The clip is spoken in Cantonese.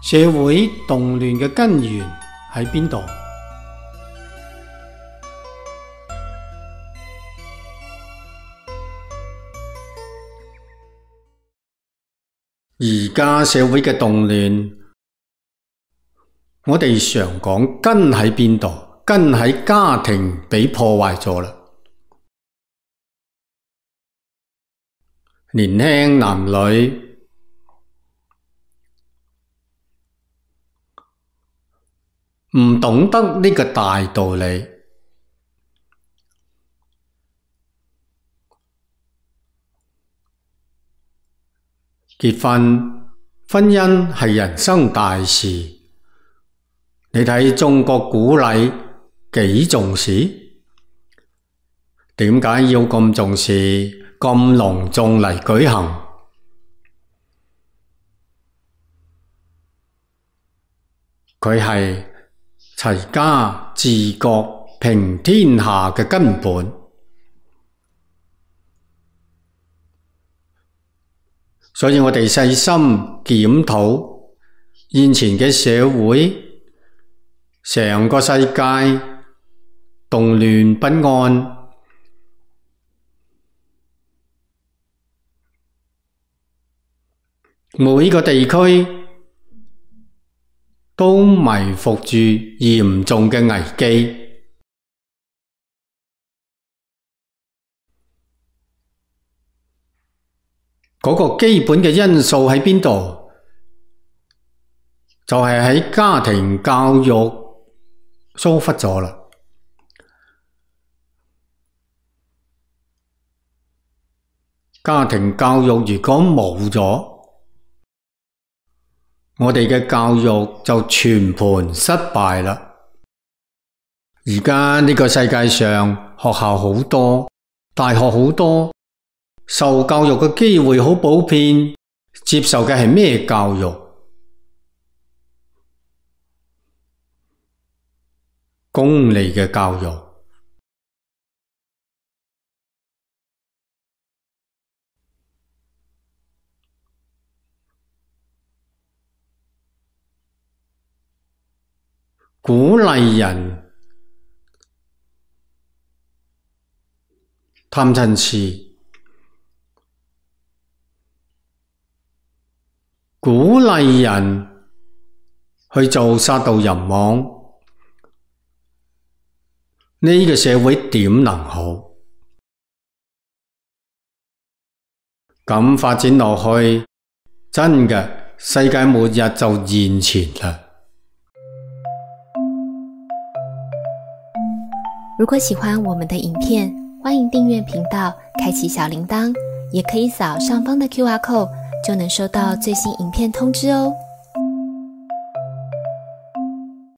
社會動亂嘅根源喺邊度？而家社會嘅動亂，我哋常講根喺邊度？根喺家庭被破壞咗啦。年輕男女唔懂得呢個大道理，結婚姻係人生大事。你睇中國古禮幾重視？點解要咁重視？咁隆重嚟舉行？佢係齊家治國平天下嘅根本。所以我哋細心檢討現前嘅社會，成個世界動亂不安，每個地區都埋伏住嚴重嘅危機。嗰個基本嘅因素喺邊度？就係喺家庭教育疏忽咗啦。家庭教育如果冇咗，我哋嘅教育就全盤失敗啦。而家呢個世界上學校好多，大學好多，受教育嘅機會好普遍，接受嘅係咩教育？功利嘅教育。鼓勵人貪嗔癡，鼓勵人去做殺盜淫妄，呢個社會點能好？咁發展落去，真嘅世界末日就現前啦。如果喜歡我們的影片，歡迎訂閱頻道，開啟小鈴鐺，也可以掃上方的QR code，就能收到最新影片通知哦。